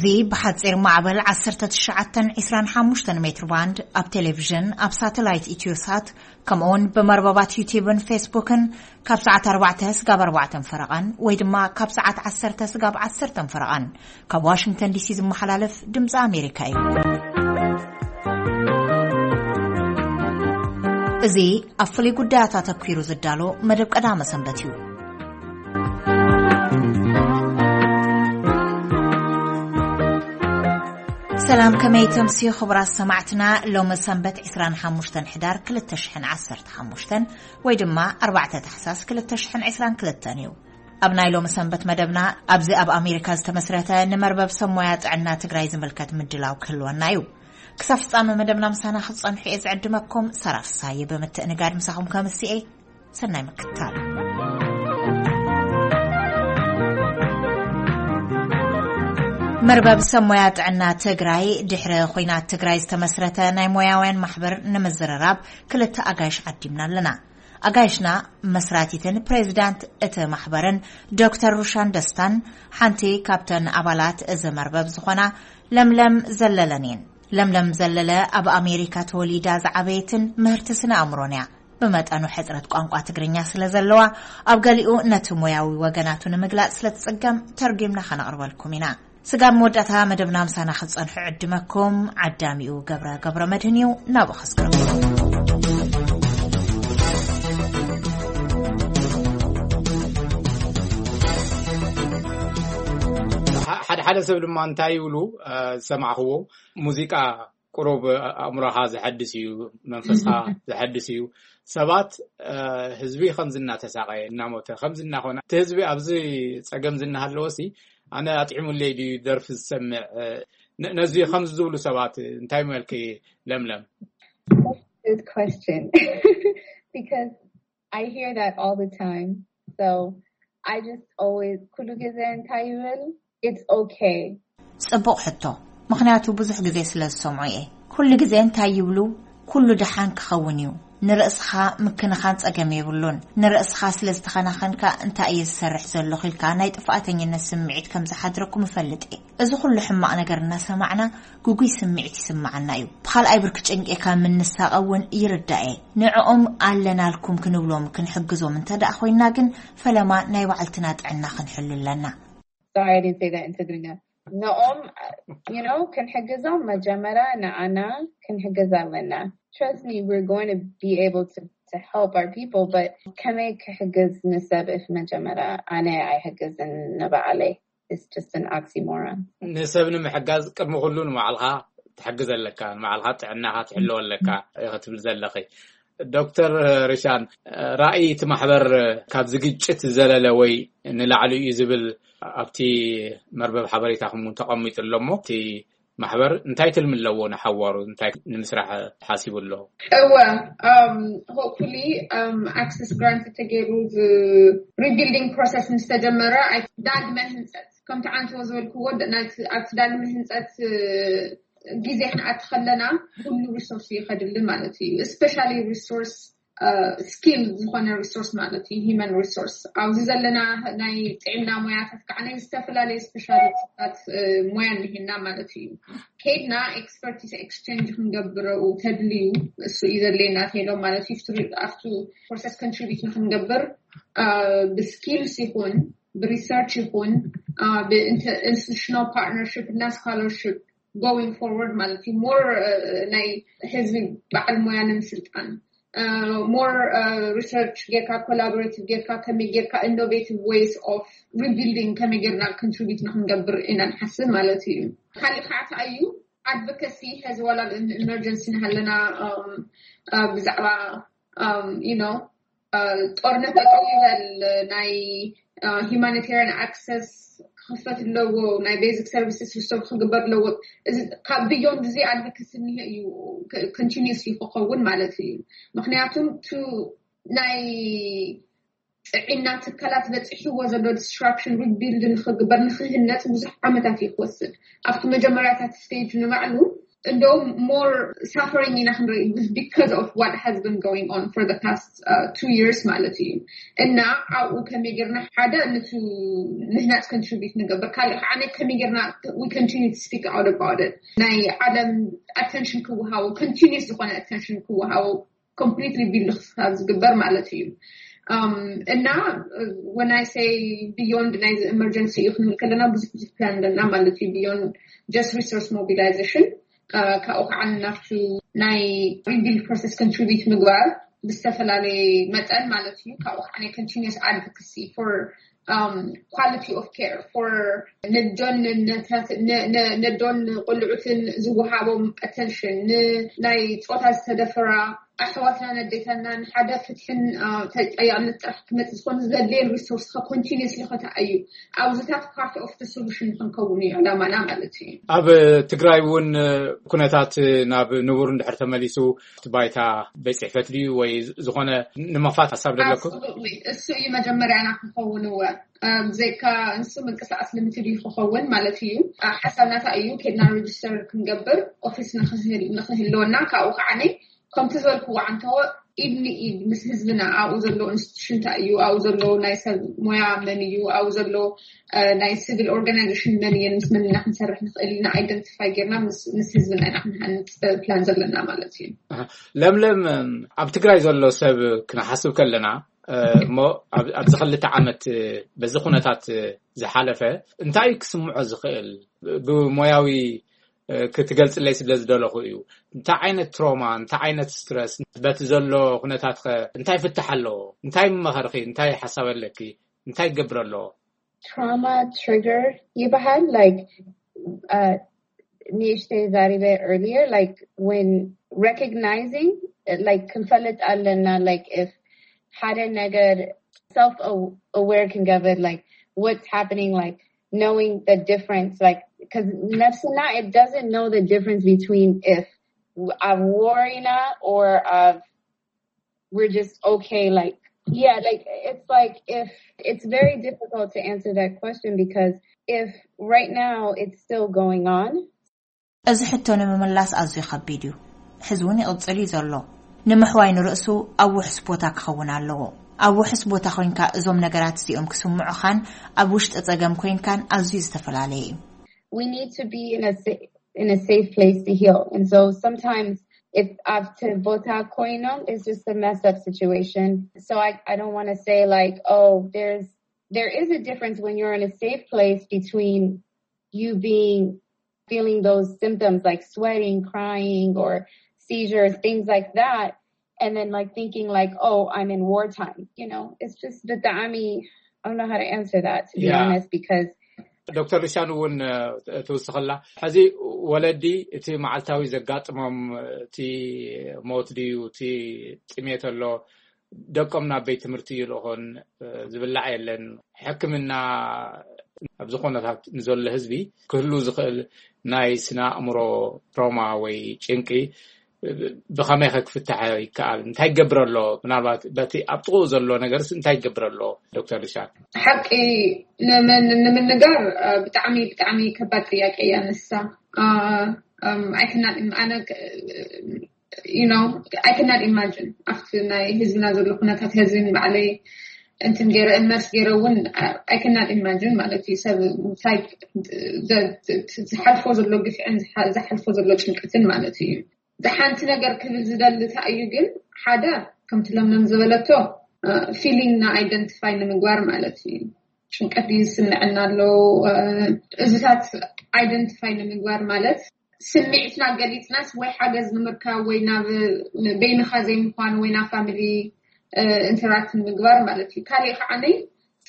እዚ ብሓጺር ማዕበል ዓሰርተ ትሽዓተ ዕስራን ሓሙሽተን ሜትር ባንድ፣ ኣብ ቴሌቪዥን፣ ኣብ ሳተላይት ኢትዮሳት፣ ከምኡውን ብመርበባት ዩቲዩብን ፌስቡክን ካብ ሰዓት ኣርባዕተ ስጋብ ኣርባዕተ ፈረቓን ወይ ድማ ካብ ሰዓት ዓሰርተ ስጋብ ዓሰርተ ፈረቓን ካብ ዋሽንግተን ዲሲ ዝመሓላለፍ ድምፂ ኣሜሪካ እዩ። እዚ ኣብ ፍሉይ ጉዳያት ኣተኲሩ ዝዳሎ መደብ ቀዳመ ሰንበት እዩ። ሰላም፣ ከመይ ተምስዩ ክቡራት ሰማዕትና? ሎሚ ሰንበት ዕስራን ሓሙሽተን ሕዳር ክልተ ሽሕን ዓሰርተ ሓሙሽተን ወይ ድማ ኣርባዕተ ታሕሳስ ክልተ ሽሕን ዕስራን ክልተን እዩ። ኣብ ናይ ሎሚ ሰንበት መደብና ኣብዚ ኣብ ኣሜሪካ ዝተመስረተ ንመርበብ ሰብ ሞያ ጥዕና ትግራይ ዝምልከት ምድላው ክህልወና እዩ። ክሳብ ፍጻመ መደብና ምሳና ክትጸንሑ እየ ዝዕድመኩም። ሳራ ፍሳየ ብምትእንጋድ ምሳኹም ከምስኤ። ሰናይ ምክትታል። መርበብ ሰብ ሞያ ጥዕና ትግራይ ድሕሪ ኹናት ትግራይ ዝተመስረተ ናይ ሞያውያን ማሕበር ንምዝርራብ ክልተ ኣጋይሽ ዓዲምና ኣለና። ኣጋይሽና መስራቲትን ፕሬዚዳንት እቲ ማሕበርን ዶክተር ሩሻን ደስታን ሓንቲ ካብተን ኣባላት እዚ መርበብ ዝኾና ለምለም ዘለለን እየን። ለምለም ዘለለ ኣብ ኣሜሪካ ተወሊዳ ዝዓበየትን ምህርቲ ስነ ኣእምሮን እያ። ብመጠኑ ሕጽረት ቋንቋ ትግርኛ ስለ ዘለዋ ኣብ ገሊኡ ነቲ ሞያዊ ወገናቱ ንምግላጽ ስለ ትጽገም ተርጒምና ከነቕርበልኩም ኢና። ስጋብ መወዳእታ መደብና ምሳና ክትጸንሑ ዕድመኩም። ዓዳሚኡ ገብረ ገብረ መድህን እዩ። ናብኡ ከስግረኩም። ሓደ ሓደ ሰብ ድማ እንታይ ይብሉ ዝሰማዕኽዎ፣ ሙዚቃ ቁሩብ ኣእምሮኻ ዘሐድስ እዩ፣ መንፈስካ ዘሐድስ እዩ። ሰባት ህዝቢ ከምዚ እናተሳቀየ እናሞተ ከምዚ እናኾነ እቲ ህዝቢ ኣብዚ ጸገም ዝናሃለዎ ሲ ኣነ ኣጥዕሙለይ ድዩ ደርፊ ዝሰምዕ? ነዚ ከምዚ ዝብሉ ሰባት እንታይ መልክ? ለምለም? Good question. Because I hear that all the time. So I just always ኩሉ ግዜ እንታይ ይብል? It's okay. ጽቡቕ ሕቶ፣ ምኽንያቱ ብዙሕ ግዜ ስለ ዝሰምዖ እየ። ኩሉ ግዜ እንታይ ይብሉ? ኩሉ ደሓን ክኸውን እዩ። ንርእስኻ ምክንኻን ጸገም የብሉን። ንርእስኻ ስለ ዝተኸናኸንካ እንታይ እየ ዝሰርሕ ዘለኹ ኢልካ ናይ ጥፋኣተኝነት ስምዒት ከም ዝሓድረኩም እፈልጥ እየ። እዚ ኩሉ ሕማቕ ነገር እናሰማዕና ግጉይ ስምዒት ይስምዓና እዩ። ብኻልኣይ ብርኪ ጭንቂ ካብ ምንሳቐ እውን ይርዳእ እየ። ንዕኦም ኣለናልኩም ክንብሎም ክንሕግዞም እንተ ደኣ ኮይና ግን ፈለማ ናይ ባዕልትና ጥዕና ክንሕሉ ኣለና። Sorry, I didn't say that in Tigrinya. ንኦም you know ክንሕግዞም መጀመርያ ንዓና ክንሕግዝ ኣለና። Trust me, we're going to be able to to help our people, but ከመይ ክሕግዝ ንሰብ if መጀመርያ ኣነ ኣይሕግዝን ንባዕለይ? It's just an oxymoron. ንሰብ ንምሕጋዝ ቅድሚ ኩሉ ንባዕልኻ ትሕግዝ ኣለካ፣ ንባዕልኻ ጥዕናኻ ትሕልወ ኣለካ ኢኺ ትብል ዘለኺ። ዶክተር ሪሻን፣ ራእይ እቲ ማሕበር ካብዚ ግጭት ዝዘለለ ወይ ንላዕሊ እዩ ዝብል ኣብቲ መርበብ ሓበሬታኹም እውን ተቐሚጡ ኣሎ። እሞ እቲ ማሕበር እንታይ ትልሚ ኣለዎ ንሓዋሩ እንታይ ንምስራሕ ሓሲቡ ኣሎ? እወ፣ hopefully access grant ተገይሩ rebuilding process ምስ ተጀመረ ዳግመ ህንፀት ከምቲ ዓንተዎ ዝበልክዎ ኣብቲ ዳግመ ህንፀት ግዜ ክንኣቲ ከለና ኩሉ resource እዩ ከድሊ ማለት እዩ። Especially resource skill ዝኾነ resource ማለት እዩ፣ human resource። ኣብዚ ዘለና ናይ ጥዕና ሞያታት ከዓ ናይ ዝተፈላለዩ specialty ታት ሞያ እንሄና ማለት እዩ። ከይድና expertise exchange ክንገብር ተድልዩ እሱ እዩ ዘድልየና ተይሎም ማለት እዩ። ኣብቱ process contribute ንክንገብር ብ skills ይኹን ብ research ይኹን ብ institutional partnership እና scholarship going forward ማለት እዩ። More ናይ ህዝቢ በዓል ሞያ ንምስልጣን more research ጌርካ collaborative ጌርካ ከመይ ጌርካ innovative ways of rebuilding ከመይ ጌርና contribute ንክንገብር ኢና ንሓስብ ማለት እዩ። ካሊእ ከዓ እንታይ እዩ advocacy ሕዚ ዋላ emergency እናሃለና ብዛዕባ you know ጦርነት ጠጠው ይበል ናይ humanitarian access ክኽፈት ኣለዎ፣ ናይ basic services restore ክግበር ኣለዎ። ካብ beyond እዚ advocacy እኒሀ እዩ continuously ክኸውን ማለት እዩ። ምክንያቱም ቱ ናይ ጥዕና ትካላት በፂሕዎ ዘሎ disruption rebuild ንክግበር ንክህነፅ ብዙሕ ዓመታት እዩ ክወስድ። ኣብቲ መጀመርያታት stage ንባዕሉ እንደውም more suffering ኢና ክንርኢ because of what has been going on for the past two years ማለት እዩ። እና ኣብኡ ከመይ ጌርና ሓደ ንቱ ምህናፅ contribute ንገብር፣ ካልእ ከዓ ከመይ ጌርና we continue to speak out about it፣ ናይ ዓለም attention ክወሃቦ፣ continuous ዝኾነ attention ክወሃቦ completely build ካብ ዝግበር ማለት እዩ። እና when I say beyond ናይ emergency እዩ ክንብል ከለና ብዙሕ ብዙሕ plan ኣለና ማለት እዩ። Beyond just resource mobilization ካብኡ ከዓ ናብቱ ናይ rebuild process contribute ምግባር ብዝተፈላለየ መጠን ማለት እዩ። ካብኡ ከዓ ናይ continuous advocacy for quality of care for ነዶን ነዶን ቆልዑትን ዝወሃቦም attention፣ ንናይ ፆታ ዝተደፈራ ኣሕዋትና ነዴታና ንሓደ ፍትሕን ተጠያቅነት ጥራሕ ክመፅእ ዝኾነ ዘድልየን resource continuously ከተኣዩ ኣብዚታት part of the solution ክንከውን እዩ ዕላማና ማለት እዩ። ኣብ ትግራይ እውን ኩነታት ናብ ንቡር እንድሕር ተመሊሱ እቲ ባይታ ቤት ፅሕፈት ድዩ ወይ ዝኾነ ንምኽፋት ሓሳብ ደለኩም? እሱ እዩ መጀመርያና ክኸውን እወ። ብዘይካ ንሱ ምንቅስቃስ ልምቲ ድዩ ክኸውን ማለት እዩ። ሓሳብ ናታ እዩ። ኬድና register ክንገብር ኦፊስ ንክህልወና ካብኡ ከዓ ከምቲ ዝበልክዎ ዓንተዎ ኢድ ንኢድ ምስ ህዝብና ኣብኡ ዘሎ institution እንታይ እዩ፣ ኣብኡ ዘሎ ናይ ሰብ ሞያ መን እዩ፣ ኣብኡ ዘሎ ናይ civil organization መን እየን፣ ምስ መን ኢና ክንሰርሕ ንኽእል ኢልና identify ጌርና ምስ ህዝብና ኢና ክንሃንፅ plan ዘለና ማለት እዩ። ለምለም፣ ኣብ ትግራይ ዘሎ ሰብ ክንሓስብ ከለና እሞ ኣብዚ ክልተ ዓመት በዚ ኩነታት ዝሓለፈ እንታይ ክስምዖ ዝኽእል ብሞያዊ ክትገልፅለይ ስለ ዝደለኹ እዩ። እንታይ ዓይነት ትሮማ፣ እንታይ ዓይነት ስትረስ፣ በቲ ዘሎ ኩነታት ከ እንታይ ፍታሕ ኣለዎ? እንታይ መኸርኺ? እንታይ ሓሳብ ኣለኪ? እንታይ ይገብር ኣለዎ? Trauma trigger ይበሃል። Like ንእሽተይ ዛሪበ earlier, like when recognizing, like ክንፈልጥ ኣለና, like if ሓደ ነገር self aware ክንገብር, like what's happening, like knowing the difference, like because ነፍስና, it doesn't know the difference between if ኣብ war ኢና or of we're just okay, like yeah, like it's like if it's very difficult to answer that question because if right now it's still going on. እዚ ሕቶ ንምምላስ ኣዝዩ ከቢድ እዩ። ሕዚ እውን ይቕጽል እዩ ዘሎ። ንምሕዋይ ንርእሱ ኣብ ውሕስ ቦታ ክኸውን ኣለዎ። ኣብ ውሕስ ቦታ ኮይንካ እዞም ነገራት እዚኦም ክስምዑኻን ኣብ ውሽጢ ጸገም ኮይንካን ኣዝዩ ዝተፈላለየ እዩ። We need to be in a in a safe place to heal. And so sometimes if after ቦታ ኮይኖም, it's just a mess up situation. So I, I don't want to say like, oh, there's there is a difference when you're in a safe place between you being feeling those symptoms like sweating, crying, or seizures, things like that, and then like thinking like, oh, I'm in wartime. You know, it's just ብጣዕሚ, I don't know how to answer that, to be Yeah. honest, because ዶክተር ሊሻን እውን ትውስኸላ፣ ሕዚ ወለዲ እቲ መዓልታዊ ዘጋጥሞም እቲ ሞት ድዩ እቲ ጥሜት ኣሎ ደቆም ናብ ቤት ትምህርቲ ይልእኾን፣ ዝብላዕ የለን። ሕክምና ኣብ ዝኾነታት ንዘሎ ህዝቢ ክህሉ ዝኽእል ናይ ስነ ኣእምሮ ትሮማ ወይ ጭንቂ ብኸመይ ከ ክፍታሕ ይከኣል? እንታይ ይገብር ኣሎ? ምናልባት በቲ ኣብ ጥቕኡ ዘሎ ነገርስ እንታይ ይገብር ኣሎ? ዶክተር ሊሻን። ሓቂ ንምንጋር ብጣዕሚ ብጣዕሚ ከባድ ጥያቄ እያ ንሳ። ኣይክናን ኣነ you know I cannot imagine ኣብቲ ናይ ህዝብና ዘሎ ኩነታት ህዝብን ባዕለይ እንትን ገይረ እመርስ ገይረ እውን I cannot imagine ማለት እዩ። ሰብ እንታይ ዝሓልፎ ዘሎ ግፍዕን ዝሓልፎ ዘሎ ጭንቀትን ማለት እዩ። ዝሓንቲ ነገር ክብል ዝደሊ እንታይ እዩ ግን ሓደ ከምቲ ለምለም ዝበለቶ feeling ና identify ንምግባር ማለት እዩ። ጭንቀት ድዩ ዝስምዐና ኣሎ? እዚታት identify ንምግባር ማለት ስምዒትና ገሊፅናስ ወይ ሓገዝ ንምርካብ ወይ ናብ በይንኻ ዘይምኳን ወይ ናብ family interact ንምግባር ማለት እዩ። ካሊእ ከዓ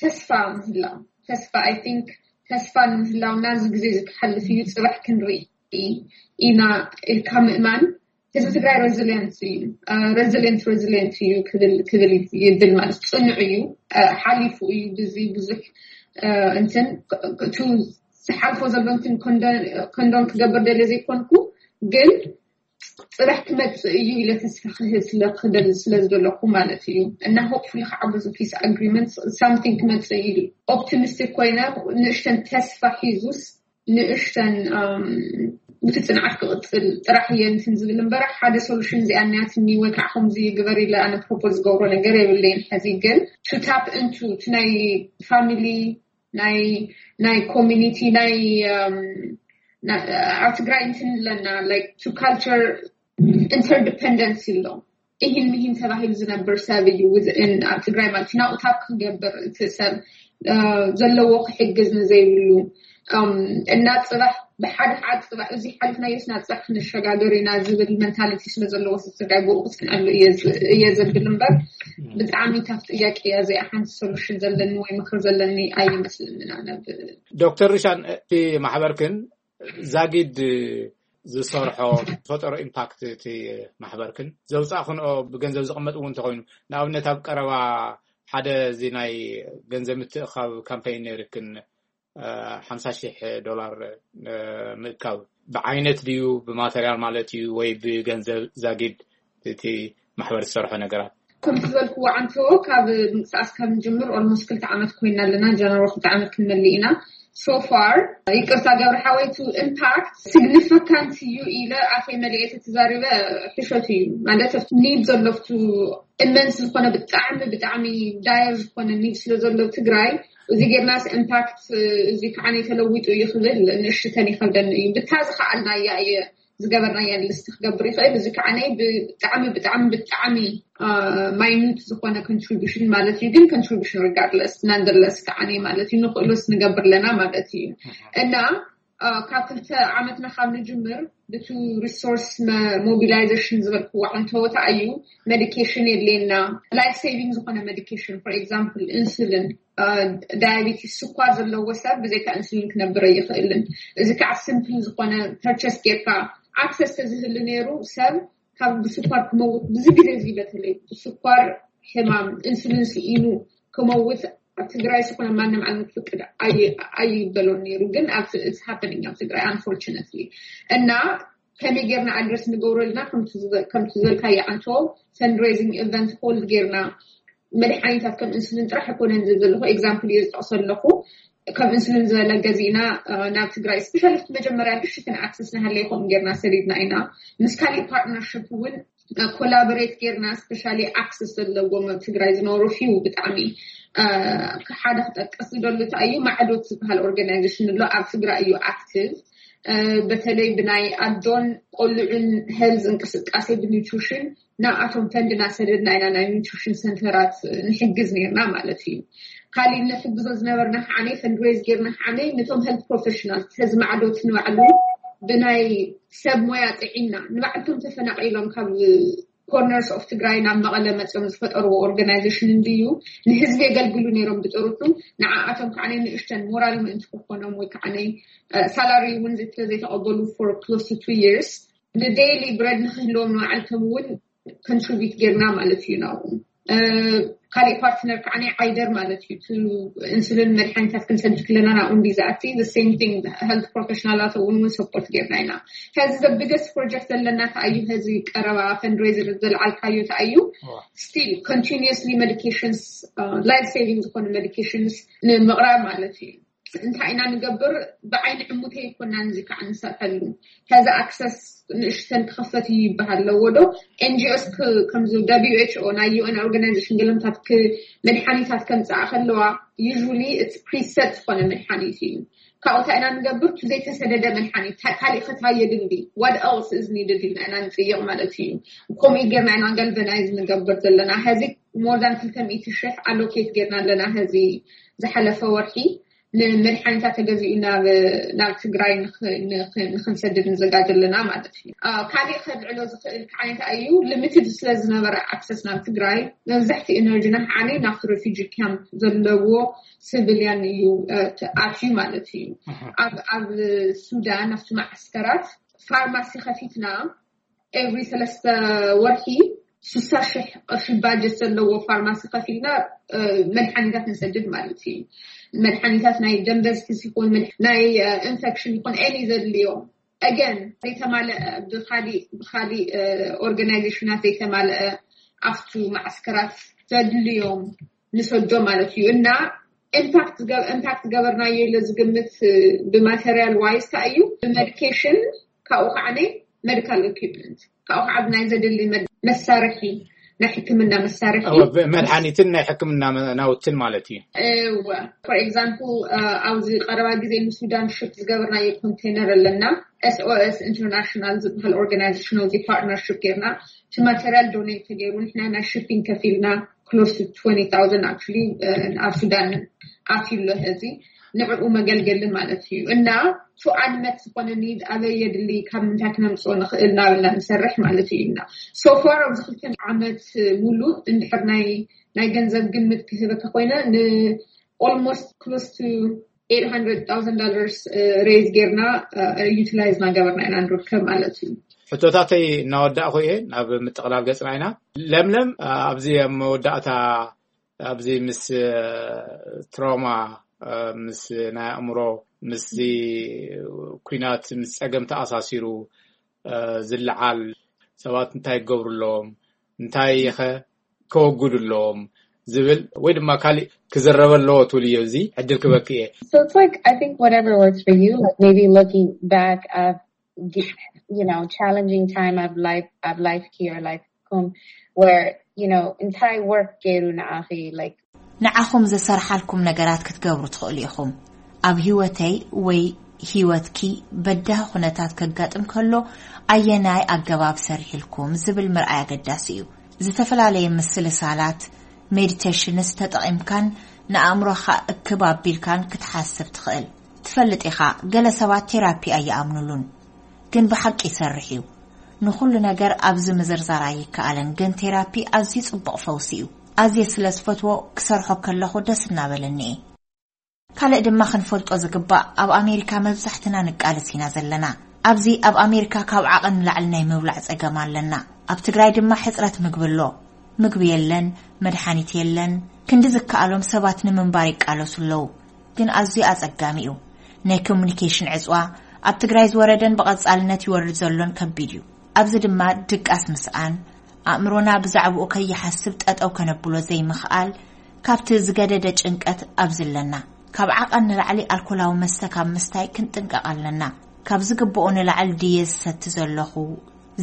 ተስፋ ምህላው፣ ተስፋ I think ተስፋ ንምህላው ናዚ ግዜ እዚ ክሓልፍ እዩ፣ ፅባሕ ክንርኢ ኢና ኢልካ ምእማን። ህዝቢ ትግራይ resilient እዩ። Resilient resilient እዩ ክብል ይብል ማለት ፅኑዕ እዩ። ሓሊፉ እዩ ብዚ ብዙሕ እንትን እቱ ዝሓልፎ ዘሎ እንትን condone ክገብር ደለ ዘይኮንኩ ግን ፅባሕ ክመፅእ እዩ ኢለ ተስፋ ክህብ ስለክደል ስለዝደለኩ ማለት እዩ። እና hopefully ከዓ በዚ peace agreement something ክመፅእ እዩ optimistic ኮይነ ንእሽተን ተስፋ ሒዙስ ንእሽተን ብቲ ፅንዓት ክቕፅል ጥራሕ እየ እንትን ዝብል እምበር ሓደ solution እዚኣ እኒኣትኒ ወይ ከዓ ከምዚ ግበር ኢለ ኣነ propose ዝገብሮ ነገር የብለይን። ሕዚ ግን to tap into እቲ ናይ family ናይ ናይ community ናይ ኣብ ትግራይ እንትን ኣለና like to culture interdependence ኣሎ። እሂን ምሂን ተባሂሉ ዝነብር ሰብ እዩ within ኣብ ትግራይ ማለት እዩ ናብኡ tap ክገብር እቲ ሰብ ዘለዎ ክሕግዝ ንዘይብሉ እና ፅባሕ ብሓደ ሓደ ፅባሕ እዚ ሓሊፍናዮስ ናብ ፅባሕ ክንሸጋገር ኢና ዝብል mentality ስለ ዘለዎ ሰብ ትግራይ ብኡ ክፅንዐሉ እየ ዘብል እምበር ብጣዕሚ ታፍ ጥያቄ እያ እዚኣ ሓንቲ solution ዘለኒ ወይ ምክር ዘለኒ ኣይመስልንን ኣነ። ዶክተር ሩሻን እቲ ማሕበርክን ዛጊድ ዝሰርሖ ዝፈጠሮ impact እቲ ማሕበርክን ዘውፃእክንኦ ብገንዘብ ዝቕመጥ እውን እንተኮይኑ ንኣብነት ኣብ ቀረባ ሓደ እዚ ናይ ገንዘብ ምትእኻብ campaign ነይርክን ሓምሳ ሺሕ ዶላር ምእካብ ብዓይነት ድዩ ብማተርያል ማለት እዩ ወይ ብገንዘብ ዛጊድ እቲ ማሕበር ዝሰርሖ ነገራት? ከምቲ ዝበልክዎ ዓንተዎ ካብ ምንቅስቃስ ካብ ንጅምር almost ክልተ ዓመት ኮይና ኣለና። ጀነሮ ክልተ ዓመት ክንመልእ ኢና። So far ይቅርታ ገብረ ሓወይ to impact significant እዩ ኢለ ኣፈይ መሊኤ ተተዛሪበ ሕሸት እዩ ማለት ኣብቲ need ዘሎ ኣብቲ immense ዝኾነ ብጣዕሚ ብጣዕሚ dire ዝኾነ need ስለ ዘሎ ትግራይ እዚ ጌርናስ impact እዚ ከዓ ተለዊጡ እዩ ክብል ንእሽተን ይኸብደኒ እዩ። ብታ ዝኸኣልናያ እየ ዝገበርናያ list ክገብር ይኽእል። እዚ ከዓ ብጣዕሚ ብጣዕሚ ብጣዕሚ minute ዝኾነ contribution ማለት እዩ። ግን contribution regardless nonetheless ከዓ ማለት እዩ ንኽእሎስ ንገብር ኣለና ማለት እዩ። እና ካብ ክልተ ዓመትና ካብ ንጅምር ብቲ resource mobilization ዝበልክዎ ዓንተወታ እዩ medication የድልየና life saving ዝኾነ medication for example insulin diabetes ስኳር ዘለዎ ሰብ ብዘይካ insulin ክነብር ኣይኽእልን። እዚ ከዓ simple ዝኾነ purchase ጌርካ access ተዝህሉ ነይሩ ሰብ ካብ ብስኳር ክመውት ብዙ ግዜ እዚ በተለይ ብስኳር ሕማም insulin ስኢኑ ክመውት ኣብ ትግራይ ዝኾነ ማንም ዓይነት ፍቅድ ኣይበሎን ነይሩ። ግን it's happening ኣብ ትግራይ unfortunately እና ከመይ ጌርና address ንገብሮ ኣለና ከምቲ ዝበልካዮ ዓንቶ fundraising event hold ጌርና መድሓኒታት ከም insulin ጥራሕ ኣይኮነን ዝብል ዘለኹ example እየ ዝጠቕሶ ኣለኹ። ከም insulin ዝበለ ገዚእና ናብ ትግራይ specially መጀመርያ ንእሽተን access ንሃለይ ከምኡ ጌርና ሰዲድና ኢና። ምስ ካሊእ partnership እውን collaborate ጌርና specially access ዘለዎም ኣብ ትግራይ ዝነበሩ few ብጣዕሚ ሓደ ክጠቅስ ዝደሉ እንታይ እዩ ማዕዶት ዝበሃል organization ኣሎ ኣብ ትግራይ እዩ active በተለይ ብናይ ኣዶን ቆልዑን health እንቅስቃሴ ብ nutrition ናብኣቶም ፈንድ እናሰደድና ኢና ናይ nutrition centre ራት ንሕግዝ ነይርና ማለት እዩ። ካሊእ ነሕግዞ ዝነበርና ከዓነይ fundraise ጌርና ከዓነይ ነቶም health professional ተዝማዕዶት ንባዕሉ ብናይ ሰብ ሞያ ጥዒና ንባዕልቶም ተፈናቂሎም ካብ corners of ትግራይ ናብ መቐለ መፅዮም ዝፈጠርዎ organization እንድዩ ንህዝቢ የገልግሉ ነይሮም ብጥሩሑ ንዓኣቶም ከዓነይ ንእሽተን ሞራል ምእንቲ ክኾኖም ወይ ከዓነይ salary እውን ዘይተቐበሉ for close to two years ን daily bread ንክህልዎም ንባዕልቶም እውን contribute ጌርና ማለት እዩ ናብኡ። ካሊእ partner ከዓ ናይ ዓይደር ማለት እዩ insulin መድሓኒታት ክንሰድድ ክለና ናብኡ እንዲ ዝኣቲ the same thing health professional ላት እውን እውን support ጌርና ኢና። ሕዚ the biggest project ዘለና ከኣዩ ሕዚ ቀረባ fundraiser ዘልዓልካዮ ተኣዩ still continuously medications life saving ዝኾኑ medications ንምቕራብ ማለት እዩ። እንታይ ኢና ንገብር ብዓይኒ ዕሙተይ ይኮናን እዚ ከዓ ንሰርሐሉ ከዚ access ንእሽተን ክኸፈት እዩ ይበሃል ኣለዎ ዶ? NGOs ከምዚ WHO ናይ UN organization ገለምታት መድሓኒታት ከምፅኣ ከለዋ usually it's preset ዝኾነ መድሓኒት እዩ። ካብኡ እንታይ ኢና ንገብር? ዘይተሰደደ መድሓኒት ካሊእ ከታይ የድሊ what else is needed ኢልና ኢና ንፅይቕ ማለት እዩ። ከምኡ ጌርና ኢና galvanize ንገብር ዘለና። ሕዚ more than ክልተ ሚእቲ ሽሕ allocate ጌርና ኣለና ሕዚ ዝሓለፈ ወርሒ ንመድሓኒታት ተገዚኡ ናብ ትግራይ ንክንሰድድ ንዘጋጀ ኣለና ማለት እዩ። ካሊእ ከልዕሎ ዝኽእል ከዓይነት እዩ limited ስለዝነበረ access ናብ ትግራይ መብዛሕቲ energy ና ከዓኒ ናብቲ refugee camp ዘለዎ civilian እዩ ኣትዩ ማለት እዩ። ኣብ ሱዳን ኣብቲ ማዓስከራት ፋርማሲ ከፊትና every ሰለስተ ወርሒ ስሳ ሽሕ ቅርሺ budget ዘለዎ ፋርማሲ ከፊልና መድሓኒታት ንሰድድ ማለት እዩ። መድሓኒታት ናይ ደም በዝሒ ይኹን ናይ infection ይኹን any ዘድልዮም again ዘይተማለአ ብካሊእ ብካሊእ organization ት ዘይተማለአ ኣብቱ ማዓስከራት ዘድልዮም ንሰዶ ማለት እዩ። እና impact ዝገበርናዮ ኢለ ዝግምት ብ material wise ታይ እዩ ብ medication ካብኡ ከዓ ናይ medical equipment፣ ካብኡ ከዓ ናይ ዘድሊ መድ- መሳርሒ፣ ናይ ሕክምና መሳርሒ። እወ፣ መድሓኒትን ናይ ሕክምና መ- ናውትን ማለት እዩ። እወ፣ for example ኣብዚ ቀረባ ግዜ ንሱዳን ሽፕ ዝገበርናዮ ኮንቴነር ኣለና። S O S International ዝበሃል ኦርጋናይዜሽን እዚ ፓርትነርሽፕ ጌርና እቲ ማቴሪያል ዶኔት ተገይሩ ንሕና ናይ ሽፒንግ ከፊልና close to twenty thousand actually ኣብ ሱዳን ኣትዩ ኣሎ። እዚ ንዕኡ መገልገሊ ማለት እዩ። እና to unmet ዝኾነ need ኣበይ የድሊ፣ ካብ ምንታይ ክነምፅኦ ንኽእል እናበልና ንሰርሕ ማለት እዩ። እና so far ኣብዚ ክልተ ዓመት ሙሉእ እንድሕር ናይ ናይ ገንዘብ ግምት ክህበካ ኮይነ ን almost close to eight hundred thousand dollars raise ጌርና utilize እናገበርና ኢና ንርከብ ማለት እዩ። ሕቶታተይ እናወዳእኩ እየ ናብ ምጥቕላል ገፅና ኢና። ለምለም፣ ኣብዚ ኣብ መወዳእታ ኣብዚ ምስ ትራውማ፣ ምስ ናይ ኣእምሮ፣ ምስዚ ኩናት፣ ምስ ፀገም ተኣሳሲሩ ዝለዓል ሰባት እንታይ ክገብሩ ኣለዎም፣ እንታይ ከ ከወግዱ ኣለዎም ዝብል ወይ ድማ ካሊእ ክዝረብ ኣለዎ ትብል እዮ። እዚ ዕድል ክበክ እየ። So it's like, I think whatever works for you, like maybe looking back at, you know, challenging time of life, of life here, like, um, where, you know, እንታይ work ገይሩ ንዓኺ፣ like ንዓኹም ዘሰርሓልኩም ነገራት ክትገብሩ ትኽእሉ ኢኹም። ኣብ ህይወተይ ወይ ህይወትኪ በዳሂ ኩነታት ከጋጥም ከሎ ኣየናይ ኣገባብ ሰሪሕልኩም ዝብል ምርኣይ ኣገዳሲ እዩ። ዝተፈላለየ ምስልሳላት፣ ሜዲቴሽንስ ተጠቒምካን ንኣእምሮኻ እክብ ኣቢልካን ክትሓስብ ትኽእል። ትፈልጥ ኢኻ፣ ገለ ሰባት ቴራፒ ኣይኣምኑሉን፣ ግን ብሓቂ ይሰርሕ እዩ። ንኹሉ ነገር ኣብዚ ምዝርዛር ኣይከኣልን፣ ግን ቴራፒ ኣዝዩ ጽቡቕ ፈውሲ እዩ። ኣዝየ ስለ ዝፈትዎ ክሰርሖ ከለኹ ደስ እናበለኒ እየ። ካልእ ድማ ክንፈልጦ ዝግባእ፣ ኣብ ኣሜሪካ መብዛሕትና ንቃለስ ኢና ዘለና። ኣብዚ ኣብ ኣሜሪካ ካብ ዓቐን ንላዕሊ ናይ ምብላዕ ጸገም ኣለና። ኣብ ትግራይ ድማ ሕጽረት ምግቢ ኣሎ። ምግቢ የለን፣ መድሓኒት የለን። ክንዲ ዝከኣሎም ሰባት ንምንባር ይቃለሱ ኣለዉ። ግን ኣዝዩ ኣጸጋሚ እዩ። ናይ ኮሙኒኬሽን ዕጽዋ ኣብ ትግራይ ዝወረደን ብቐጻልነት ይወርድ ዘሎን ከቢድ እዩ። ኣብዚ ድማ ድቃስ ምስኣን፣ ኣእምሮና ብዛዕባኡ ከይሓስብ ጠጠው ከነብሎ ዘይምኽኣል፣ ካብቲ ዝገደደ ጭንቀት ኣብዚ ኣለና። ካብ ዓቐን ንላዕሊ ኣልኮላዊ መስተ ካብ ምስታይ ክንጥንቀቕ ኣለና። ካብ ዝግብኦ ንላዕሊ ድየ ዝሰቲ ዘለኹ፣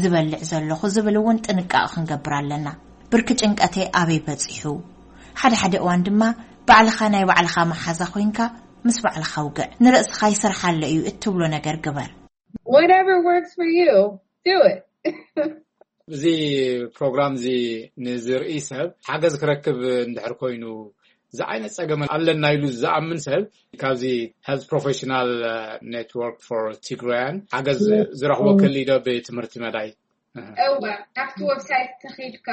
ዝበልዕ ዘለኹ ዝብል እውን ጥንቃቐ ክንገብር ኣለና። ብርኪ ጭንቀተይ ኣበይ በጺሑ? ሓደ ሓደ እዋን ድማ ባዕልኻ ናይ ባዕልኻ መሓዛ ኮይንካ ምስ ባዕልኻ ውግዕ። ንርእስኻ ይሰርሓለ እዩ እትብሎ ነገር ግበር። Whatever works for you, do it. እዚ ፕሮግራም እዚ ንዝርኢ ሰብ ሓገዝ ክረክብ እንድሕር ኮይኑ፣ እዚ ዓይነት ጸገም ኣለና ኢሉ ዝኣምን ሰብ ካብዚ Health Professional Network for Tigrayan ሓገዝ ዝረኽቦ ክህልይ ዶ ብትምህርቲ መዳይ? እወ፣ ኣብቲ ዌብሳይት ተኺድካ፣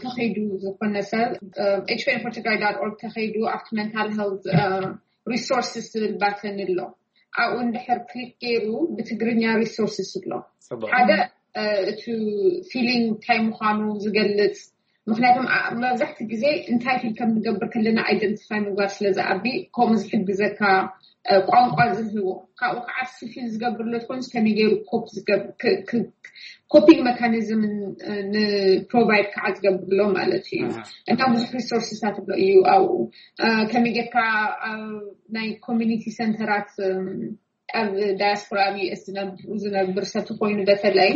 ተኺዱ ዝኾነ ሰብ H P N for Tigray dot org ተኺዱ ኣብቲ mental health resources ዝብል ባተን ኣሎ። ኣብኡ እንድሕር ክሊክ ገይሩ ብትግርኛ resources ኣሎ። ሓደ እቲ feeling እንታይ ምዃኑ ዝገልጽ፣ ምክንያቱም መብዛሕቲ ግዜ እንታይ ፊል ከም ንገብር ከለና ኣይደንቲፋይ ምግባር ስለ ዝኣቢ፣ ከምኡ ዝሕግዘካ ቋንቋ ዝህቦ፣ ካብኡ ከዓ እሱ ፊል ዝገብር ለትኮንስ ከመይ ገይሩ ኮፒንግ መካኒዝም ንፕሮቫይድ ከዓ ዝገብር ኣሎ ማለት እዩ። እና ብዙሕ ሪሶርስታት ኣሎ እዩ ኣብኡ። ከመይ ጌርካ ናይ ኮሚኒቲ ሰንተራት ኣብ ዳያስፖራ ኣብ ዩኤስ ዝነብር ሰብ ተኮይኑ በተለይ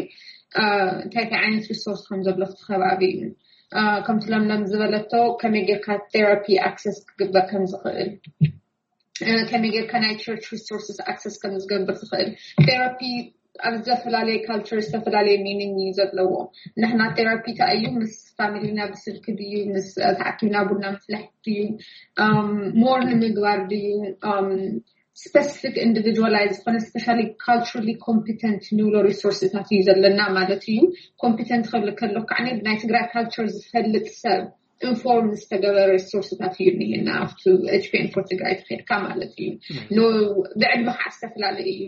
እንታይ እንታይ ዓይነት ሪሶርስ ከም ዘሎ እቲ ከባቢ እዩ። ከምቲ ለምለም ዝበለቶ ከመይ ጌርካ ቴራፒ ኣክሰስ ክግበር ከም ዝኽእል፣ ከመይ ጌርካ ናይ ቸርች ሪሶርስስ ኣክሰስ ከም ዝገብር ትኽእል። ቴራፒ ኣብ ዝተፈላለየ ካልቸር ዝተፈላለየ ሚኒንግ እዩ ዘለዎ። ንሕና ቴራፒ እንታይ እዩ? ምስ ፋሚሊና ብስልኪ ድዩ? ምስ ተኣኪብና ቡና ምፍላሕ ድዩ? ሞር ንምግባር ድዩ? ስፐሲፊክ ኢንዲቪጁዋላይዝ ዝኾነ ስፔሻሊ ካልቸራሊ ኮምፒተንት ንብሎ ሪሶርስታት እዩ ዘለና ማለት እዩ። ኮምፒተንት ክብል ከሎ ከዓ ብናይ ትግራይ ካልቸር ዝፈልጥ ሰብ ኢንፎርም ዝተገበረ ሪሶርስታት እዩ እኒሄና ኣብቲ ኤች ፒ ኤን ፎር ትግራይ ተኸድካ ማለት እዩ። ብዕድመ ከዓ ዝተፈላለየ እዩ።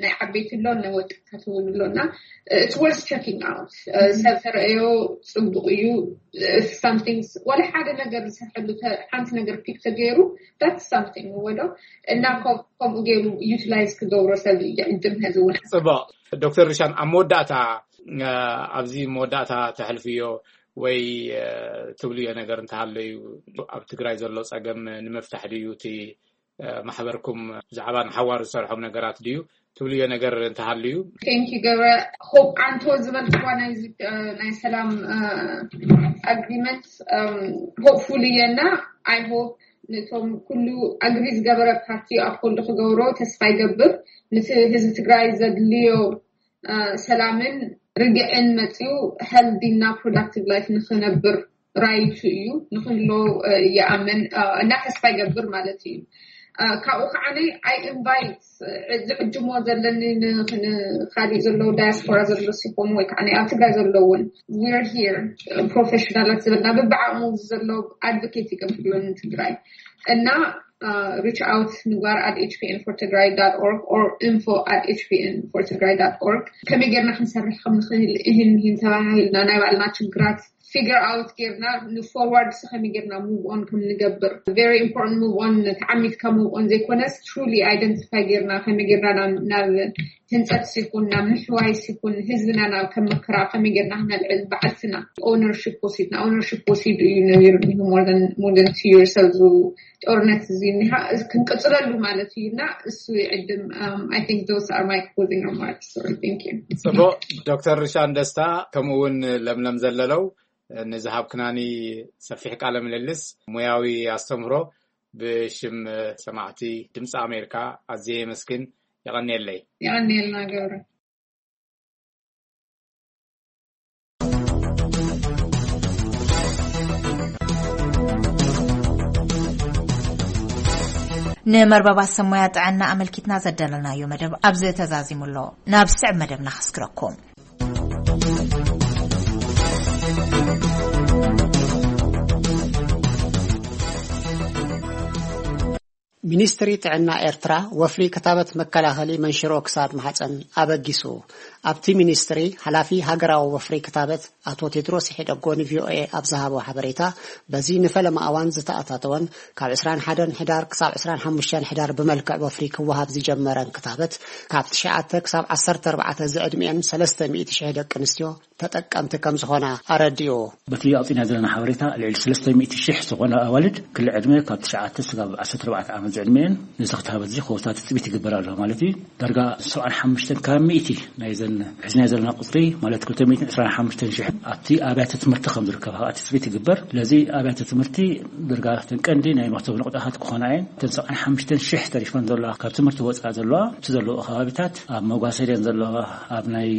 ናይ ዓበይቲ ኣሎ፣ ናይ ወጣታት እውን ኣሎ እና it's worth checking out። ሰብ ተረእዮ ፅቡቅ እዩ። Something ወላ ሓደ ነገር ዝሰርሐሉ ሓንቲ ነገር ፒክ ተገይሩ that's something ወዶ እና ከምኡ ገይሩ ዩቲላይዝ ክገብሮ ሰብ ይዕድም። ሕዚ እውን ፅቡቅ። ዶክተር ሪሻን ኣብ መወዳእታ ኣብዚ መወዳእታ ተሕልፍዮ ወይ ትብልዮ ነገር እንተሃለዩ ኣብ ትግራይ ዘሎ ፀገም ንምፍታሕ ድዩ እቲ ማሕበርኩም ብዛዕባ ንሓዋሩ ዝሰርሖም ነገራት ድዩ ትብልዮ ነገር እንተሃልዩ? Thank you, ገብረ። Hope ኣንቶ ዝበልክዋ ናይ ሰላም ኣግሪመንት ሆፕፉሊ እየና። I hope ነቶም ኩሉ ኣግሪ ዝገበረ ፓርቲ ኣፖልድ ክገብሮ ተስፋ ይገብር። ምስ ህዝቢ ትግራይ ዘድልዮ ሰላምን ርግዕን መፅኡ ሄልዲ እና ፕሮዳክቲቭ ላይፍ ንክነብር ራይቱ እዩ፣ ንክህሎ ይኣምን እና ተስፋ ይገብር ማለት እዩ። ካብኡ ከዓ I invite ዝዕጅሞ ዘለኒ ንካሊእ ዘለዉ ዳያስፖራ ዘሎ ሲኮኑ ወይ ከዓ ኣብ ትግራይ ዘለውን we're here ፕሮፌሽናላት ዝበልና ብብዓቅሙ ዘሎ ኣድቮኬት ይገብርሎ ንትግራይ እና reach out ንግባር at H P N for Tigray dot org or info at H P N for Tigray dot org። ከመይ ጌርና ክንሰርሕ ከም ንኽእል እህን ምሂን ተባሃሂልና ናይ ባዕልና ችግራት figure out ጌርና ንፎርዋርድ ስ ከመይ ጌርና move on ከም ንገብር very important move on ተዓሚትካ move on ዘይኮነስ truly identify ጌርና ከመይ ጌርና ናብ ናብ ህንፀት ሲኩን ናብ ምሕዋይ ሲኩን ህዝብና ናብ ከም መከራ ከመይ ጌርና ክነልዕል ባዕልትና ኦነርሽፕ ወሲድና ኦነርሽፕ ወሲዱ እዩ ነቢሩ more than more than two years ኣብዚ ጦርነት እዚ እኒሃ ክንቅፅለሉ ማለት እዩ እና እሱ ይዕድም። I think those are my closing remarks. Thank you. ፅቡቅ። ዶክተር ርሻን ደስታ ከምኡ እውን ለምለም ዘለለው ንዝሃብክናኒ ሰፊሕ ቃለ ምልልስ ሙያዊ ኣስተምህሮ ብሽም ሰማዕቲ ድምፂ ኣሜሪካ ኣዝየ የመስግን። የቐንየለይ። የቐንየልና ገብረ። ንመርበባት ሰሞያ ጥዕና ኣመልኪትና ዘዳለናዮ መደብ ኣብዚ ተዛዚሙ ኣሎ። ናብ ስዕብ መደብና ከስግረኩም። ሚኒስትሪ ጥዕና ኤርትራ ወፍሪ ክታበት መከላኸሊ መንሽሮ ክሳድ ማሕፀን ኣበጊሱ። ኣብቲ ሚኒስትሪ ሓላፊ ሃገራዊ ወፍሪ ክታበት ኣቶ ቴድሮስ ሒደጎ ንቪኦኤ ኣብ ዝሃቦ ሓበሬታ፣ በዚ ንፈለማ እዋን ዝተኣታተወን ካብ ዕስራን ሓደን ሕዳር ክሳብ ዕስራን ሓሙሽተን ሕዳር ብመልክዕ ወፍሪ ክወሃብ ዝጀመረን ክታበት ካብ ትሽዓተ ክሳብ ዓሰርተ ኣርባዕተ ዝዕድሚኤን ሰለስተ ሚእቲ ሽሕ ደቂ ኣንስትዮ ተጠቀምቲ ከም ዝኾና ኣረዲኡ። በቲ ኣውፂና ዘለና ሓበሬታ ልዕሊ ሰለስተ ሚእቲ ሽሕ ዝኾና ኣዋልድ ክሊ ዕድመ ካብ ትሽዓተ ስጋብ ዓሰርተ ኣርባዕተ ዓመት ዝዕድመ እየን። ነዚ ክታበት እዚ ክወስዳ ትፅቢት ይግበር ኣሎ ማለት እዩ። ዳርጋ ሰብዓን ሓሙሽተን ካብ ሚእቲ ናይዘን ሒዝና ዘለና ቁፅሪ ማለት ክልተ ሚእትን ዕስራን ሓሙሽተን ሽሕ ኣብቲ ኣብያተ ትምህርቲ ከም ዝርከባ ከዓ ትፅቢት ይግበር። ስለዚ ኣብያተ ትምህርቲ ዳርጋ እተን ቀንዲ ናይ መክተብ ንቑጣታት ክኾና እየን። እተን ሰብዓን ሓሙሽተን ሽሕ ተሪፈን ዘለዋ ካብ ትምህርቲ ወፃኢ ዘለዋ እቲ ዘለዎ ከባቢታት ኣብ መጓሰ ድየን ዘለዋ ኣብ ናይ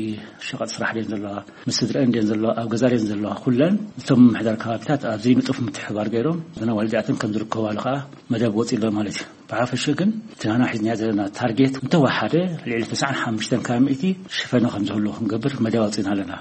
ሸቐጥ ስራሕ ድየን ዘለዋ ምስ ስድረአን ድየን ዘለዋ ኣብ ገዛ ድየን ዘለዋ ኩለን እቶም ምምሕዳር ከባቢታት ኣብዚ ንጡፍ ምትሕባር ገይሮም ዘነ ዋልዲኣተን ከም ዝርከባሉ ከዓ መደብ ወፂ ኣሎ ማለት እዩ። ብሓፈሽ ግን እቲ ናና ሒዝናዮ ዘለና ታርጌት እንተወሓደ ልዕሊ ተስዓን ሓሙሽተን ካብ ሚእቲ ሽፈነ ከም ዝህሉ ክንገብር መደብ ኣውፂና ኣለና።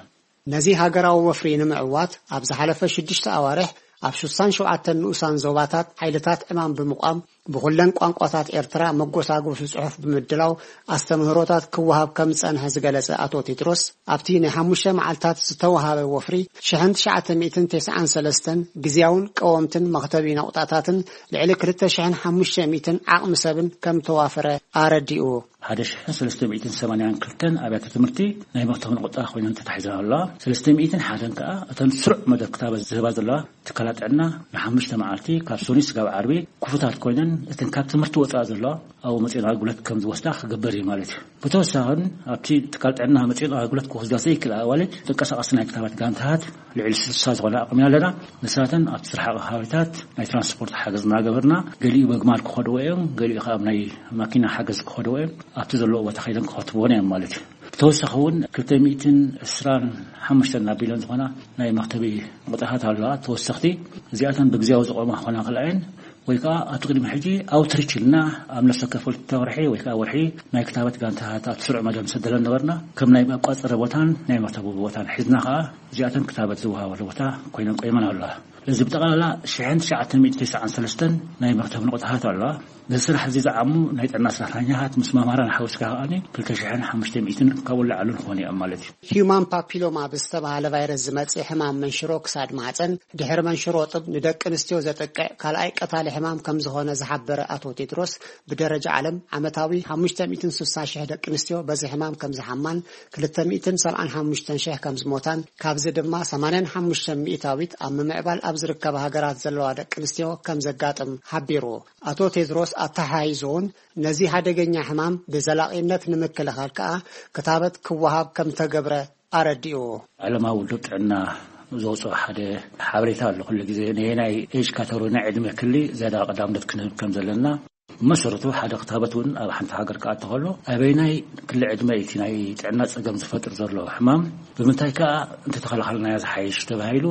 ነዚ ሃገራዊ ወፍሪ ንምዕዋት ኣብ ዝሓለፈ ሽዱሽተ ኣዋርሕ ኣብ ሽሳን ሸውዓተን ንኡሳን ዞባታት ሓይልታት ዕማም ብምቋም ብኹለን ቋንቋታት ኤርትራ መጎሳጎሲ ጽሑፍ ብምድላው ኣስተምህሮታት ክወሃብ ከም ዝጸንሐ ዝገለጸ ኣቶ ቴድሮስ፣ ኣብቲ ናይ ሓሙሽተ መዓልታት ዝተወሃበ ወፍሪ ሽሕን ትሽዓተ ሚእትን ተስዓን ሰለስተን ግዝያውን ቀወምትን መኽተቢ ነቑጣታትን ልዕሊ ክልተ ሽሕን ሓሙሽተ ሚእትን ዓቕሚ ሰብን ከም ተዋፈረ ኣረዲኡ። ሓደ ሽሕን ሰለስተ ሚእትን ሰማንያን ክልተን ኣብያተ ትምህርቲ ናይ መኽተቢ ነቑጣ ኮይነን ተታሒዘን ኣለዋ። ሰለስተ ሚእትን ሓደን ከኣ እተን ስሩዕ መደብ ክታበት ዝህባ ዘለዋ ትካላት ጥዕና ንሓሙሽተ መዓልቲ ካብ ሰኑይ ስጋብ ዓርቢ ክፉታት ኮይነን እተን ካብ ትምህርቲ ወፃኢ ዘለዋ ኣብኡ መፂኤን ኣገልግሎት ከም ዝወስዳ ክግበር እዩ ማለት እዩ። ብተወሳኽን ኣብቲ ትካል ጥዕና መፂኤን ኣገልግሎት ክወስዳ ዘይክእላ ኣዋልድ ተንቀሳቐሲ ናይ ክታበት ጋንታታት ልዕሊ ስልሳ ዝኾነ ኣቕሚና ኣለና። ንሳተን ኣብቲ ዝረሓቐ ከባቢታት ናይ ትራንስፖርት ሓገዝ እናገበርና ገሊኡ በግማል ክኸድዎ እዮም፣ ገሊኡ ካብ ናይ ማኪና ሓገዝ ክኸድዎ እዮም። ኣብቲ ዘለዎ ቦታ ከይደን ክኸትብዎን እዮም ማለት እዩ። ብተወሳኺ እውን ክልተ ሚእትን ዕስራን ሓሙሽተን ኣቢለን ዝኾና ናይ መኽተቢ ቁጥርታት ኣለዋ ተወሰኽቲ። እዚኣተን ብግዜያዊ ዝቆማ ክኾና ክልኣየን ወይ ከዓ ኣብቲ ቅድሚ ሕጂ ኣውትሪች ኢልና ኣብ ነፍሰ ከፈል ተወርሒ ወይ ከዓ ወርሒ ናይ ክታበት ጋንታታት ኣብ ስሩዕ መደብ ንሰደለን ነበርና። ከም ናይ መቋፀሪ ቦታን ናይ መኽተቢ ቦታን ሒዝና ከዓ እዚኣተን ክታበት ዝወሃበሉ ቦታ ኮይነን ቆይመን ኣለዋ። እዚ ብጠቕላላ ሽሕን ትሽዓተ ሚእቲ ተስዓን ሰለስተን ናይ መኽተቢ ንቑጣታት ኣለዋ። ነዚ ስራሕ እዚ ዝዓሙ ናይ ጥዕና ሰራሕተኛታት ምስ መምሃራን ሓዊስካ ከኣኒ ክልተ ሽሕን ሓሙሽተ ሚእትን ካብኡ ላዕሉን ክኾኑ እዮም ማለት እዩ። ሂዩማን ፓፒሎማ ብዝተባሃለ ቫይረስ ዝመጽእ ሕማም መንሽሮ ክሳድ ማህፀን ድሕሪ መንሽሮ ጥብ ንደቂ ኣንስትዮ ዘጥቅዕ ካልኣይ ቀታሊ ሕማም ከም ዝኾነ ዝሓበረ ኣቶ ቴድሮስ፣ ብደረጃ ዓለም ዓመታዊ ሓሙሽተ ሚእትን ስሳን ሽሕ ደቂ ኣንስትዮ በዚ ሕማም ከም ዝሓማን ክልተ ሚእትን ሰብዓን ሓሙሽተን ሽሕ ከም ዝሞታን ካብዚ ድማ ሰማንያን ሓሙሽተን ሚእታዊት ኣብ ምምዕባል ኣብ ዝርከባ ሃገራት ዘለዋ ደቂ ኣንስትዮ ከም ዘጋጥም ሓቢሩ። ኣቶ ቴድሮስ ኣተሓሒዙ እውን ነዚ ሓደገኛ ሕማም ብዘላቒነት ንምክልኻል ከኣ ክታበት ክወሃብ ከም ተገብረ ኣረዲኡ። ዓለማዊ ውድብ ጥዕና ዘውፅኦ ሓደ ሓበሬታ ኣሎ። ኩሉ ግዜ ነየናይ ኤጅ ካተጎሪ፣ ናይ ዕድመ ክሊ ዝያዳ ቀዳምነት ክንህብ ከም ዘለና፣ መሰረቱ ሓደ ክታበት እውን ኣብ ሓንቲ ሃገር ክኣቱ ከሎ ኣበይናይ ክሊ ዕድመ እቲ ናይ ጥዕና ጸገም ዝፈጥር ዘሎ ሕማም ብምንታይ ከኣ እንተተኸላኸልናዮ ዝሓይሽ ተባሂሉ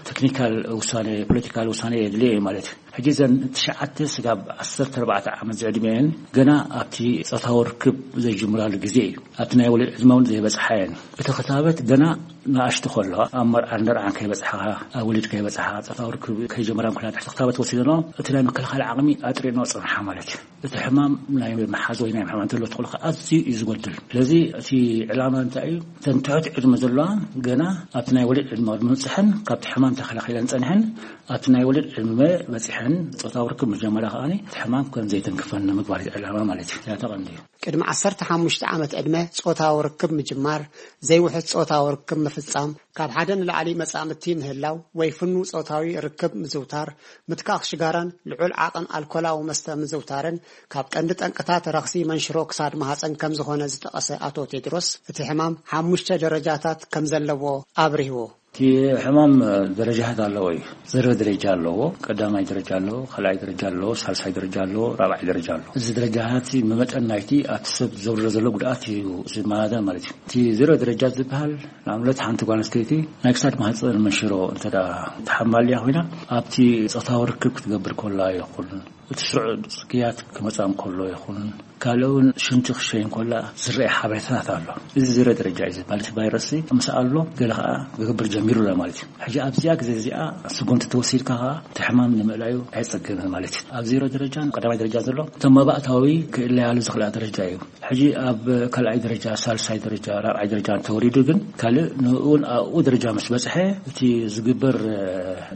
ቴክኒካል ውሳኔ፣ ፖለቲካል ውሳኔ የድልዮ እዩ ማለት እዩ። ሕጂ እዘን ትሽዓተ ስጋብ ዓሰርተ ኣርባዕተ ዓመት ዝዕድመ እየን፣ ገና ኣብቲ ጾታዊ ርክብ ዘይጅምራሉ ግዜ እዩ። ኣብቲ ናይ ወሊድ ዕድመ እውን ዘይበጽሓ እየን። እቲ ክታበት ገና ንኣሽቱ ከለዋ ኣብ መርዓን ደርዓን ከይበጽሓ፣ ኣብ ወሊድ ከይበጽሓ፣ ጾታዊ ርክብ ከይጀመራ እንኮላ ትሕቲ ክታበት ወሲደኖ እቲ ናይ ምክልኻል ዓቕሚ ኣጥሪኖ ጽንሓ ማለት እዩ። እቲ ሕማም ናይ ምሓዝ ወይ ናይ ምሕማም እንተሎ ትኽእሉ ከኣ ኣዝዩ እዩ ዝጎድል። ስለዚ እቲ ዕላማ እንታይ እዩ? እተን ትሑት ዕድመ ዘለዋ ገና ኣብቲ ናይ ወሊድ ዕድመ ቅድሚ ምብጽሐን ካብቲ ሕማም ተኸላኺለን ጸኒሐን ኣብቲ ናይ ወሊድ ዕድመ በጺሐን ጾታዊ ርክብ ምጀመራ ከኣ እቲ ሕማም ከም ዘይተንክፈን ንምግባር እዩ ዕላማ ማለት እዩ። እዚኣ ተቐንዲ እዩ። ቅድሚ ዓሰርተ ሓሙሽተ ዓመት ዕድመ ጾታዊ ርክብ ምጅማር፣ ዘይውሑስ ጾታዊ ርክብ ምፍጻም፣ ካብ ሓደ ንላዕሊ መጻምድቲ ምህላው ወይ ፍኑው ጾታዊ ርክብ ምዝውታር፣ ምትካኽ ሽጋራን ልዑል ዓቐን ኣልኮላዊ መስተ ምዝውታርን ካብ ቀንዲ ጠንቅታት ረኽሲ መንሽሮ ክሳድ ማህጸን ከም ዝኾነ ዝጠቐሰ ኣቶ ቴድሮስ፣ እቲ ሕማም ሓሙሽተ ደረጃታት ከም ዘለዎ ኣብሪሁ። እቲ ሕማም ደረጃታት ኣለዎ እዩ። ዘረ ደረጃ ኣለዎ፣ ቀዳማይ ደረጃ ኣለዎ፣ ካልኣይ ደረጃ ኣለዎ፣ ሳልሳይ ደረጃ ኣለዎ፣ ራብዓይ ደረጃ ኣለዎ። እዚ ደረጃታት መመጠን ናይቲ ኣብቲ ሰብ ዘውርዶ ዘሎ ጉድኣት እዩ ዝመዛዘን ማለት እዩ። እቲ ዘረ ደረጃ ዝበሃል ንኣብነት ሓንቲ ጓል ኣንስተይቲ ናይ ክሳድ ማህፀን መንሽሮ እንተ ደኣ ተሓማልያ ኮይና ኣብቲ ጾታዊ ርክብ ክትገብር ከላ ይኹን እቲ ስሩዕ ጽግያት ክመጻ እንከሎ ይኹን ካልእ እውን ሽንቲ ክሸይ እንከላ ዝረአ ሓበሬታታት ኣሎ። እዚ ዝረ ደረጃ እዩ ዝበሃል። እቲ ቫይረስ ምስ ኣሎ ገለ ከኣ ክገብር ጀሚሩ ኣሎ ማለት እዩ። ሕጂ ኣብዚኣ ግዜ እዚኣ ስጉምቲ ተወሲድካ ከኣ እቲ ሕማም ንምእላዩ ኣየጸግምን ማለት እዩ። ኣብ ዜሮ ደረጃን ቀዳማይ ደረጃ ዘሎ እቶም መባእታዊ ክእለያሉ ዝኽእላ ደረጃ እዩ። ሕጂ ኣብ ካልኣይ ደረጃ፣ ሳልሳይ ደረጃ፣ ራብዓይ ደረጃ እንተወሪዱ ግን ካልእ ንእውን ኣብኡ ደረጃ ምስ በጽሐ እቲ ዝግበር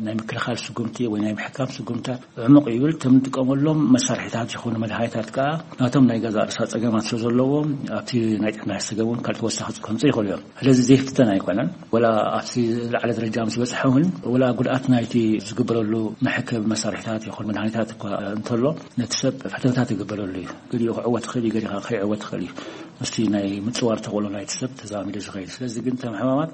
ናይ ምክልኻል ስጉምቲ ወይ ናይ ምሕካም ስጉምታት ዕሙቕ ይብል። እቶም ንጥቀመሎም መሳርሒታት ይኹኑ መድሃኒታት ከኣ ናቶም ናይ ገዛእ ርእሳ ጸገማት ስለ ዘለዎም ኣብቲ ናይ ጥዕና ሰገም እውን ካልእ ተወሳኺ ከምጽእ ይኽእሉ እዮም። ስለዚ ዘይፍተን ኣይኮነን። ወላ ኣብቲ ዝለዓለ ደረጃ ምስ በጽሐ እውን ወላ ጉድኣት ናይቲ ዝግበረሉ መሐከቢ መሳርሒታት ይኹን መድሃኒታት እኳ እንተሎ ነቲ ሰብ ፈተነታት ይግበረሉ እዩ። ገሊኡ ክዕወት ይኽእል እዩ፣ ገሊኡ ከይዕወት ይኽእል እዩ። ምስቲ ናይ ምጽዋር ተኽእሎ ናይቲ ሰብ ተዛሚዱ ዝኸይድ። ስለዚ ግን እቶም ሕማማት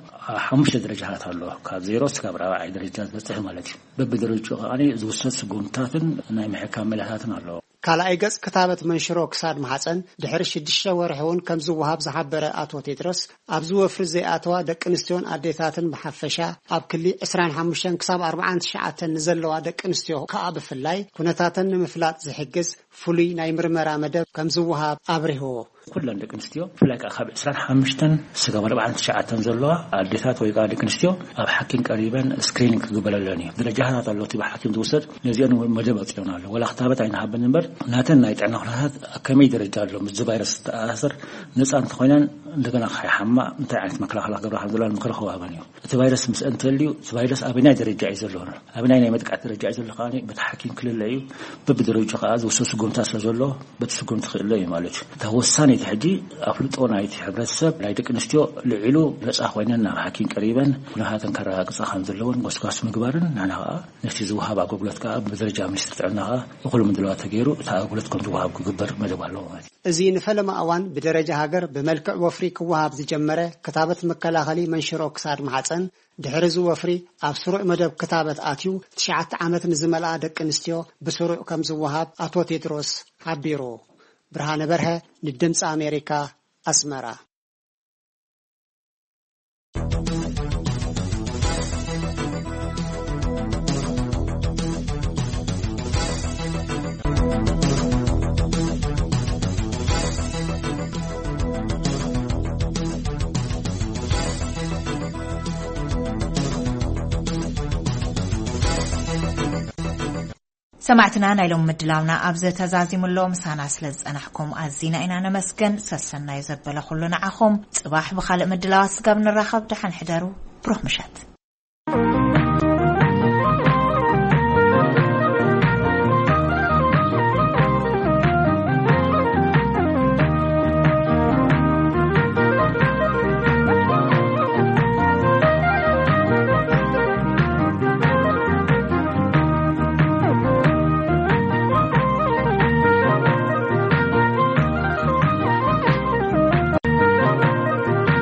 ሓሙሽተ ደረጃታት ኣለዎ። ካብ ዜሮ እስካብ ራብዓይ ደረጃ ዝበጽሕ ማለት እዩ። በብደረጃኡ ከኣ ዝውሰድ ስጉምትታትን ናይ ምሕካም ሜላታትን ኣለዎ። ካልኣይ ገጽ ክታበት መንሽሮ ክሳድ ማሕጸን ድሕሪ ሽዱሽተ ወርሒ እውን ከም ዝወሃብ ዝሓበረ ኣቶ ቴድሮስ፣ ኣብዚ ወፍሪ ዘይኣተዋ ደቂ ኣንስትዮን ኣዴታትን ብሓፈሻ ኣብ ክሊ ዕስራን ሓሙሽተን ክሳብ ኣርባዓን ትሽዓተን ንዘለዋ ደቂ ኣንስትዮ ከኣ ብፍላይ ኩነታተን ንምፍላጥ ዝሕግዝ ፍሉይ ናይ ምርመራ መደብ ከም ዝወሃብ ኣብሪሁ። ኩለን ደቂ ኣንስትዮ ብፍላይ ከኣ ካብ ዕስራን ሓሙሽተን ስጋብ ኣርባዓን ትሽዓተን ዘለዋ ኣዴታት ወይ ከኣ ደቂ ኣንስትዮ ኣብ ሓኪም ቀሪበን ስክሪኒንግ ክግበረለን እዩ። ደረጃታት ኣሎ እቲ ብሓኪም ዝውሰድ፣ ነዚአን እውን መደብ ኣውጺኦን ኣሎ። ወላ ክታበት ኣይንሃበን እምበር ናተን ናይ ጥዕና ኩነታት ኣብ ከመይ ደረጃ ኣሎ፣ ምስዚ ቫይረስ ዝተኣሳሰር ነጻ እንተኾይነን እንደገና ከይሓማ እንታይ ዓይነት መከላኸሊ ክገብራ ከም ዘለዋን ምኽሪ ክወሃበን እዩ። እቲ ቫይረስ ምስ እንተልዩ እቲ ቫይረስ ኣበናይ ደረጃ እዩ ዘሎ፣ ኣበናይ ናይ መጥቃዕቲ ደረጃ እዩ ዘሎ ከኣ በቲ ሓኪም ክልለ እዩ። በብደረጃ ከኣ ዝውሰድ ስጉምታ ስለ ዘሎ በቲ ስጉምቲ ክእለ እዩ ማለት እዩ። እታ ወሳነይቲ ሕጂ ኣፍልጦ ናይቲ ሕብረተሰብ ናይ ደቂ ኣንስትዮ ልዒሉ ነጻ ኮይነን ናብ ሓኪም ቀሪበን ኩነታተን ከረጋግጻ ከም ዘለወን ጎስጓስ ምግባርን ንሕና ከኣ ነቲ ዝወሃብ ኣገልግሎት ከኣ ብደረጃ ሚኒስትሪ ጥዕና ከኣ እኹል ምድላዋት ተገይሩ እቲ ኣገልግሎት ከም ዝወሃብ ክግበር መደብ ኣለዎ ማለት እዩ። እዚ ንፈለማ እዋን ብደረጃ ሃገር ብመልክዕ ወፍሪ ክወሃብ ዝጀመረ ክታበት መከላኸሊ መንሽሮ ክሳድ ማሕጸን ድሕሪ እዚ ወፍሪ ኣብ ስሩዕ መደብ ክታበት ኣትዩ ትሽዓተ ዓመት ንዝመልኣ ደቂ ኣንስትዮ ብስሩዕ ከም ዝወሃብ ኣቶ ቴድሮስ ሓቢሩ። ብርሃነ በርሀ ንድምፂ ኣሜሪካ ኣስመራ። ሰማዕትና፣ ናይ ሎሚ ምድላውና ኣብዚ ተዛዚሙ ኣሎ። ምሳና ስለ ዝጸናሕኩም ኣዚና ኢና ነመስገን። ሰሰናዩ ዘበለ ኩሉ ንዓኹም። ጽባሕ ብኻልእ ምድላዋት ስጋብ ንራኸብ፣ ደሓን ሕደሩ። ብሩኽ ምሸት።